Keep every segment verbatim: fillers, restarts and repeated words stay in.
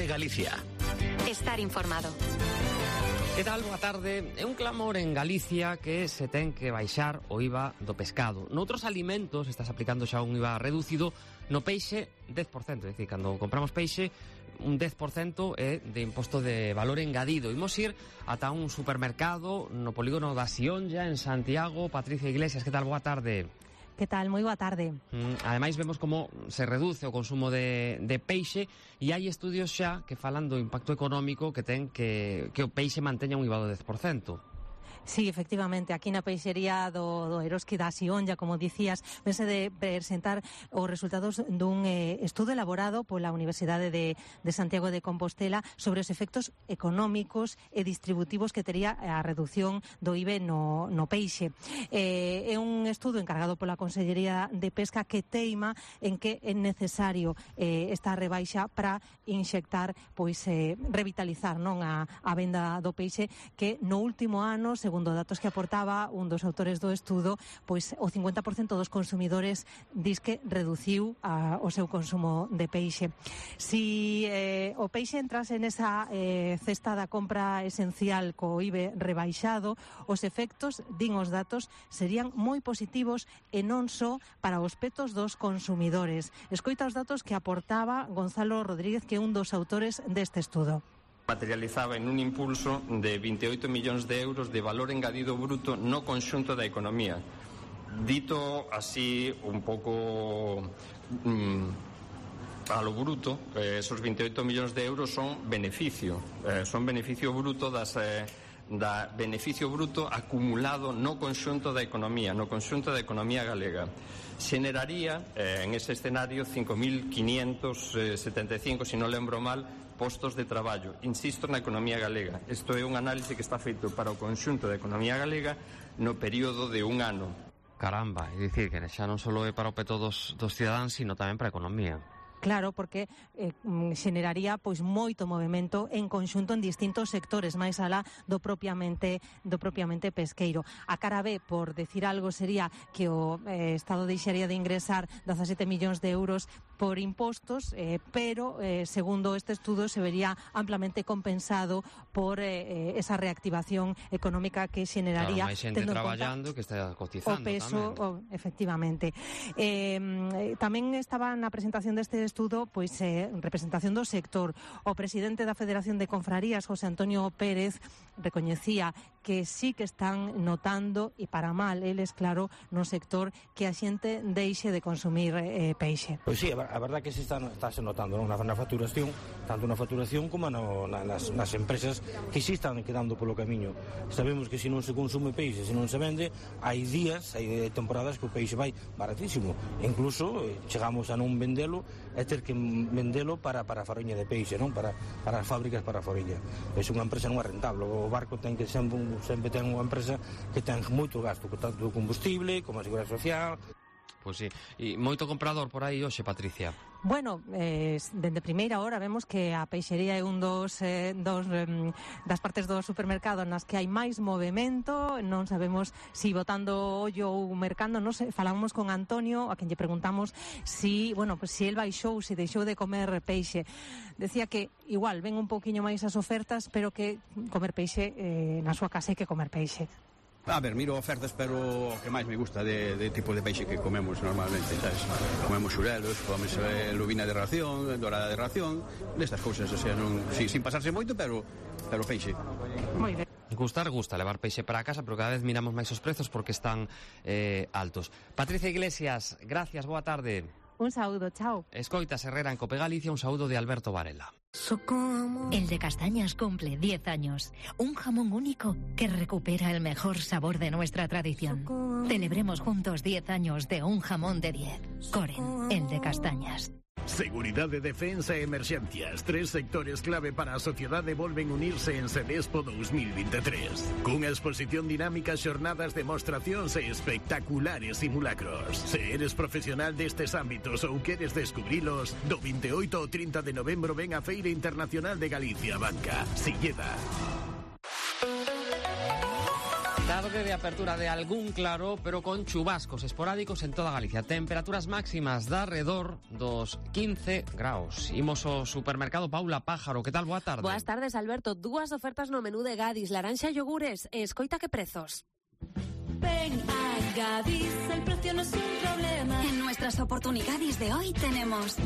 Valore Galicia. Estar informado. Que tal? Boa tarde. É un clamor en Galicia que se ten que baixar o I V A do pescado. Noutros alimentos estás aplicando xa un I V A reducido, no peixe dez por cento, é dicir, cando compramos peixe un dez por cento é de imposto de valor engadido. Imos ir ata un supermercado no polígono da Sionlla en Santiago. Patricia Iglesias, que tal? Boa tarde. Que tal? Moi boa tarde. Mm, ademais vemos como se reduce o consumo de, de peixe e hai estudios xa que falan do impacto económico que ten que, que o peixe manteña un I V A do dez por cento. Sí, efectivamente, aquí na peixería do, do Eroski da Sionlla, como dicías, vense de presentar os resultados dun eh, estudo elaborado pola Universidade de, de Santiago de Compostela sobre os efectos económicos e distributivos que tería a reducción do I V A no, no peixe. Eh, é un estudo encargado pola Consellería de Pesca que teima en que é necesario eh, esta rebaixa para inxectar, pois, eh, revitalizar non a, a venda do peixe, que no último ano, segundo datos que aportaba un dos autores do estudo, pois o cincuenta por cento dos consumidores dis que reduciu a, o seu consumo de peixe. Si eh, o peixe entrase nesa eh, cesta da compra esencial co I V A rebaixado, os efectos, din os datos, serían moi positivos e non só para os petos dos consumidores. Escoita os datos que aportaba Gonzalo Rodríguez, que é un dos autores deste estudo. Materializaba en un impulso de veintiocho millóns de euros de valor engadido bruto no conxunto da economía. Dito así un pouco mmm, a lo bruto, eh, esos veintiocho millóns de euros son beneficio, eh, son beneficio bruto das... Eh, da beneficio bruto acumulado no conxunto da economía, no conxunto da economía galega. Xeneraría, eh, en ese escenario, cinco mil quinientos setenta e cinco, se non lembro mal, postos de traballo. Insisto, na economía galega. Isto é un análise que está feito para o conxunto da economía galega no período de un ano. Caramba, é dicir que xa non só é para o peto dos, dos cidadáns, sino tamén para a economía. Claro, porque eh, xeneraría pois moito movimento en conxunto en distintos sectores, máis alá do propiamente do propiamente pesqueiro. A cara B, por decir algo, sería que o eh, Estado deixaría de ingresar dezasete millóns de euros por impostos, eh, pero eh, segundo este estudo se vería amplamente compensado por eh, esa reactivación económica que xeneraría, claro, máis xente traballando que está cotizando o peso, o, efectivamente. Eh, tamén estaba na presentación deste estudo, pois, eh, representación do sector. O presidente da Federación de Confrarías, José Antonio Pérez, recoñecía que sí que están notando, e para mal, eles, claro, no sector, que a xente deixe de consumir eh, peixe. Pois sí, a verdade que se está, está se notando, non? Na, na facturación, tanto na facturación como no, na, nas, nas empresas que sí están quedando polo camiño. Sabemos que se non se consume peixe, se non se vende, hai días, hai temporadas que o peixe vai baratísimo. Incluso eh, chegamos a non vendelo e ter que vendelo para, para a faroña de peixe, non? Para, para as fábricas para a faroña. Pois unha empresa non é rentable. O barco ten que sempre, sempre ten unha empresa que ten moito gasto, tanto o combustible como a seguridade social. Pois sí, e moito comprador por aí hoxe, Patricia. Bueno, eh, dende primeira hora vemos que a peixería é un dos, eh, dos eh, das partes do supermercado nas que hai máis movimento. Non sabemos si botando ollo ou mercando, non sei, falamos con Antonio, a quen lle preguntamos si, bueno, pues si el baixou, si deixou de comer peixe. Decía que igual ven un pouquiño máis as ofertas, pero que comer peixe eh, na súa casa hai que comer peixe. A ver, miro ofertas, pero o que máis me gusta de, de tipo de peixe que comemos normalmente, sabes? Comemos xurelos, comemos eh, lubina de ración, dorada de ración, destas cousas, o sea, non, sí, sin pasarse moito, pero pero peixe. Moi ben. Gustar, gusta levar peixe para a casa, pero cada vez miramos máis os prezos porque están eh, altos. Patricia Iglesias, gracias, boa tarde. Un saúdo, chao. Escoitas Herrera en Cope Galicia, un saúdo de Alberto Varela. El de Castañas cumple diez años. Un jamón único que recupera el mejor sabor de nuestra tradición. Celebremos juntos diez años de un jamón de diez. Coren, el de Castañas. Seguridade, defensa e emerxencias. Tres sectores clave para a sociedade volven unirse en Sedespo dos mil veintitrés. Cunha exposición dinámica, xornadas, demostracións e espectaculares simulacros. Se eres profesional destes ámbitos ou queres descubrilos, do veintiocho ao trinta de novembro ven a Feira Internacional de Galicia Banca, Silleda. Tarde de apertura de algún claro, pero con chubascos esporádicos en toda Galicia. Temperaturas máximas de alrededor dos quince graus. Imos ao supermercado Paula Pájaro. Que tal? Boa tarde. Boas tardes, Alberto. Dúas ofertas no menú de Gadis, laranxa e yogures. E escoita que prezos. Ven a Gadis, el precio no es un problema. En nuestras oportunidades de hoy tenemos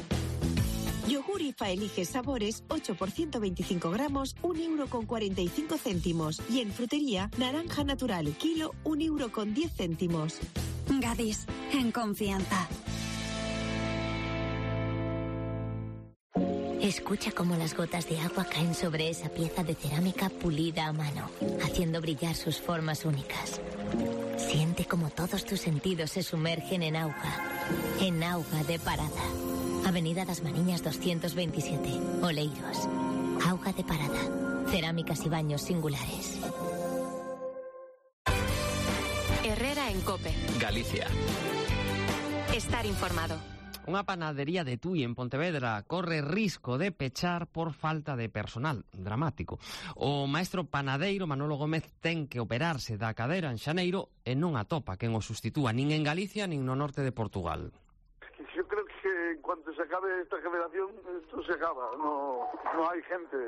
yogur IFA elige sabores, ocho por ciento veinticinco gramos, un euro con cuarenta y cinco céntimos. Y en frutería, naranja natural, kilo, un euro con diez céntimos. Gadis, en confianza. Escucha cómo las gotas de agua caen sobre esa pieza de cerámica pulida a mano, haciendo brillar sus formas únicas. Siente como todos tus sentidos se sumergen en auga, en auga de Parada. Avenida das Mariñas doscientos veintisiete, Oleiros. Auga de Parada. Cerámicas y baños singulares. Herrera en COPE. Galicia. Estar informado. Unha panadería de Tui en Pontevedra corre risco de pechar por falta de personal. Dramático. O maestro panadeiro Manolo Gómez ten que operarse da cadera en xaneiro e non atopa quen o sustitúa nin en Galicia nin no norte de Portugal. Yo creo que en cuanto se acabe esta generación, esto se acaba, no, no hay gente.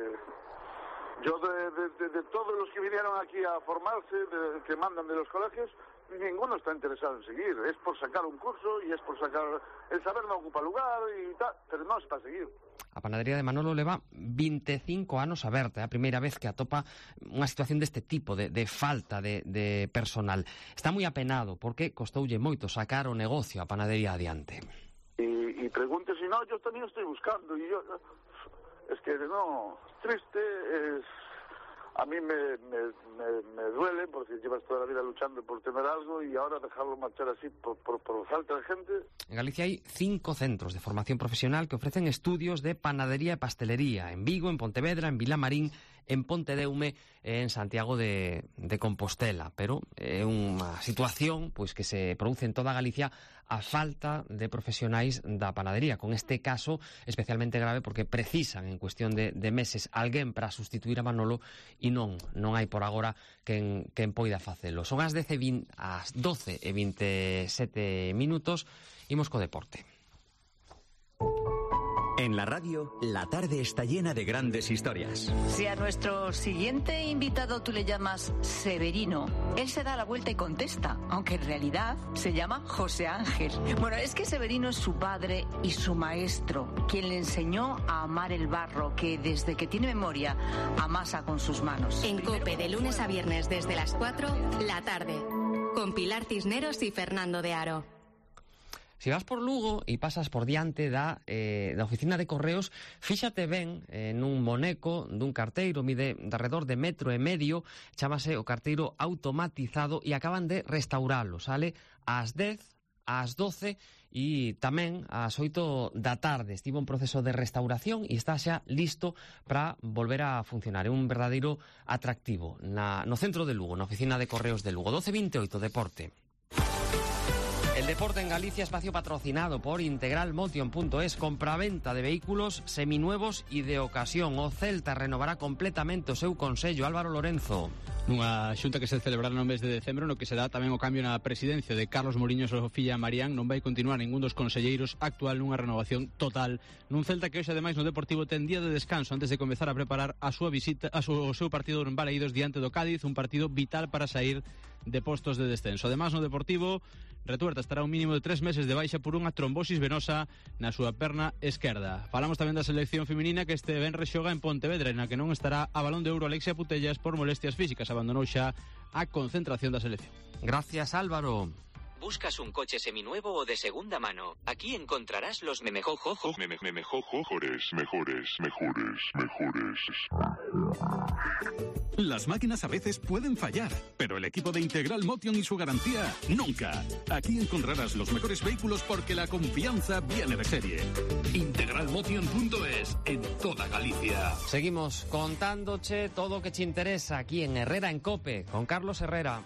Yo de, de, de, de todos los que vinieron aquí a formarse, de, que mandan de los colegios, ninguno está interesado en seguir. Es por sacar un curso y es por sacar... El saber no ocupa lugar y tal, pero no es para seguir. A panadería de Manolo leva veinticinco anos aberta, é a primeira vez que atopa unha situación deste tipo, de, de falta de, de personal. Está moi apenado porque costoulle moito sacar o negocio a panadería adiante. Y, y pregunte si no, yo también estoy buscando y yo... Es que no, triste, es... A mí me, me, me, me duele porque llevas toda la vida luchando por tener algo y ahora dejarlo marchar así por, por, por falta de gente. En Galicia hai cinco centros de formación profesional que ofrecen estudios de panadería e pastelería. En Vigo, en Pontevedra, en Vilamarín, en Pontedeume e en Santiago de, de Compostela. Pero é unha situación pois que se produce en toda Galicia a falta de profesionais da panadería. Con este caso especialmente grave porque precisan en cuestión de, de meses alguén para sustituir a Manolo e non, non hai por agora quen, quen poida facelo. Son as, as doce e veintesete minutos, imos co deporte. En la radio, la tarde está llena de grandes historias. Si a nuestro siguiente invitado tú le llamas Severino, él se da la vuelta y contesta, aunque en realidad se llama José Ángel. Bueno, es que Severino es su padre y su maestro, quien le enseñó a amar el barro, que desde que tiene memoria amasa con sus manos. En COPE, de lunes a viernes desde las cuatro, la tarde, con Pilar Cisneros y Fernando de Aro. Se vas por Lugo e pasas por diante da, eh, da oficina de correos, fíxate ben eh, nun moneco dun carteiro, mide de alrededor de metro e medio, chámase o carteiro automatizado e acaban de restauralo. Sale ás dez, ás doce e tamén ás oito da tarde. Estivo un proceso de restauración e está xa listo para volver a funcionar. É un verdadeiro atractivo na, no centro de Lugo, na oficina de correos de Lugo. doce veintioito, deporte. El deporte en Galicia, espacio patrocinado por Integral Motion punto es, compraventa de vehículos seminuevos e de ocasión. O Celta renovará completamente o seu consello. Álvaro Lorenzo. Nunha xunta que se celebrará no mes de decembro, no que se dá tamén o cambio na presidencia de Carlos Mourinho e súa filla Marián, non vai continuar ningún dos conselleiros actual nunha renovación total nun Celta que hoxe ademais no Deportivo ten día de descanso antes de comezar a preparar a súa visita a súa, o seu partido en Balaídos diante do Cádiz, un partido vital para sair de postos de descenso. Ademais no Deportivo, Retuerta estará un mínimo de tres meses de baixa por unha trombosis venosa na súa perna esquerda. Falamos tamén da selección feminina que este venres xoga en Pontevedra, na que non estará a Balón de Ouro Alexia Putellas por molestias físicas. Abandonou xa a concentración da selección. Gracias, Álvaro. ¿Buscas un coche seminuevo o de segunda mano? Aquí encontrarás los memejojojos. Meme, memejojojores, mejores, mejores, mejores. Las máquinas a veces pueden fallar, pero el equipo de Integral Motion y su garantía, nunca. Aquí encontrarás los mejores vehículos porque la confianza viene de serie. Integral Motion punto es, en toda Galicia. Seguimos contándoche todo lo que te interesa aquí en Herrera en COPE, con Carlos Herrera.